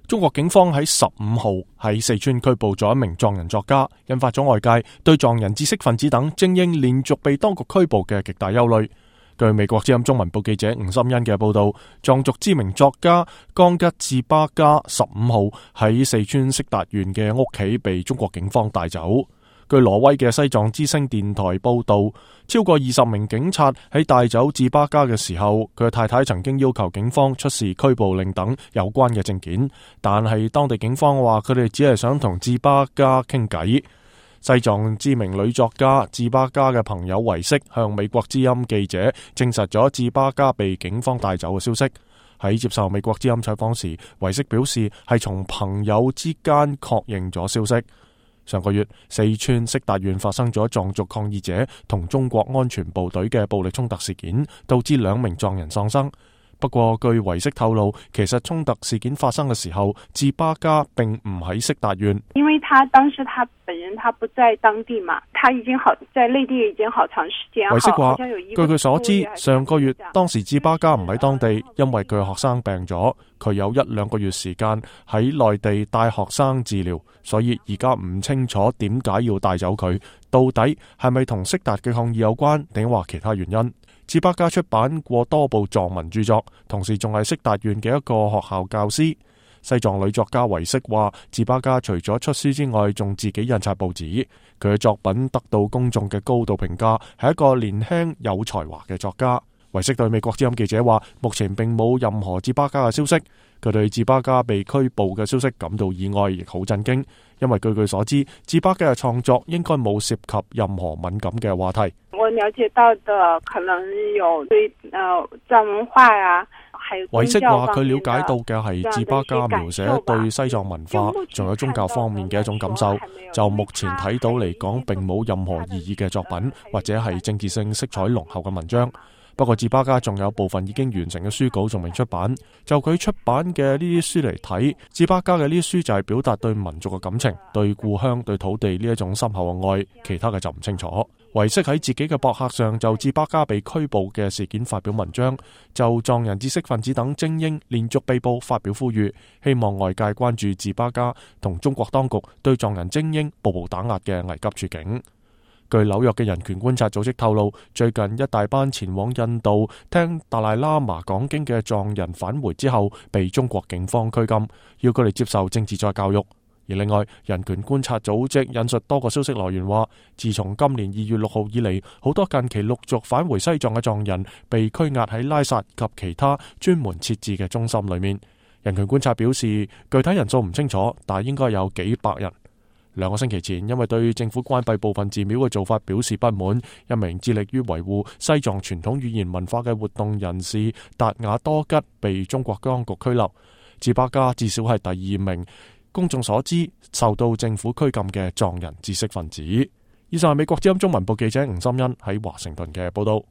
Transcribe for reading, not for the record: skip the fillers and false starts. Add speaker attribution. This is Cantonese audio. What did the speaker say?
Speaker 1: 中國警方喺15號喺四川拘捕咗一名藏人作家，引發咗外界對藏人知識分子等精英連續被當局拘捕嘅極大憂慮。據美國之音中文部記者吳心欣嘅報道，藏族知名作家江吉志巴嘉15號喺四川色達縣嘅屋企被中國警方帶走。據挪威嘅西藏之聲電台報道，超過20名警察喺帶走志巴嘉嘅時候，佢嘅太太曾經要求警方出示拘捕令等有關嘅證件，但係當地警方話佢哋只係想同志巴嘉傾偈。西藏知名女作家志巴嘉嘅朋友維色向美國之音記者證實咗志巴嘉被警方帶走嘅消息。喺接受美國之音採訪時，維色表示係從朋友之間確認咗消息。上個月，四川色達縣發生咗藏族抗議者同中國安全部隊嘅暴力衝突事件，導致2名藏人喪生。不過，據維色透露，其實衝突事件發生嘅時候，志巴嘉並唔喺色達縣，
Speaker 2: 因為他當時他本人他不在當地嘛，他已經在內地已經好長時間。
Speaker 1: 維色話，據佢所知，上個月當時志巴嘉唔喺當地，因為佢學生病咗，佢有1-2個月時間喺內地帶學生治療，所以而家唔清楚點解要帶走佢，到底係咪同色達嘅抗議有關，定話其他原因？志巴嘉出版過多部藏文著作，同時仲係色達縣嘅一個學校教師。西藏女作家維色話，志巴嘉除咗出書之外，仲自己印刷報紙。佢嘅作品得到公眾嘅高度評價，係一個年輕有才華嘅作家。維色對美國之音記者話，目前並冇任何志巴嘉嘅消息。佢對志巴嘉被拘捕嘅消息感到意外，亦好震驚，因為據佢所知，志巴嘉嘅創作應該冇涉及任何敏感嘅話題。
Speaker 2: 我了解到的可能有對藏文化呀，還有宗教方面的。維色話佢了解到嘅係志巴嘉描寫對西藏文化仲有宗教方面嘅一種感受。就目前睇到嚟講，並冇任何異議嘅作品，或者係政治性色彩濃厚嘅文章。不過志巴嘉仲有部分已經完成嘅書稿仲未出版。就佢出版嘅呢啲書嚟睇，志巴嘉嘅呢啲書就係表達對民族嘅感情，對故鄉、對土地呢一種深厚嘅愛，其他嘅就唔清楚。維色喺自己嘅博客上就志巴嘉被拘捕嘅事件發表文章，就藏人知識分子等精英連續被捕發表呼籲，希望外界關注志巴嘉同中國當局對藏人精英步步打壓嘅危急處境。據紐約嘅人權觀察組織透露，最近一大班前往印度聽達賴喇嘛講經嘅藏人返回之後，被中國警方拘禁，要佢哋接受政治再教育。而另外，人權觀察組織引述多個消息來源話，自從今年2月6號以嚟，好多近期陸續返回西藏嘅藏人被拘押喺拉薩及其他專門設置嘅中心裏面。人權觀察表示，具體人數唔清楚，但應該有幾百人。2個星期前，因為對政府關閉部分寺廟嘅做法表示不滿，一名致力於維護西藏傳統語言文化嘅活動人士達雅多吉被中國當局拘留。志巴嘉至少係第2名公眾所知受到政府拘禁嘅藏人知識分子。以上係美國之音中文部記者吳心欣喺華盛頓嘅報道。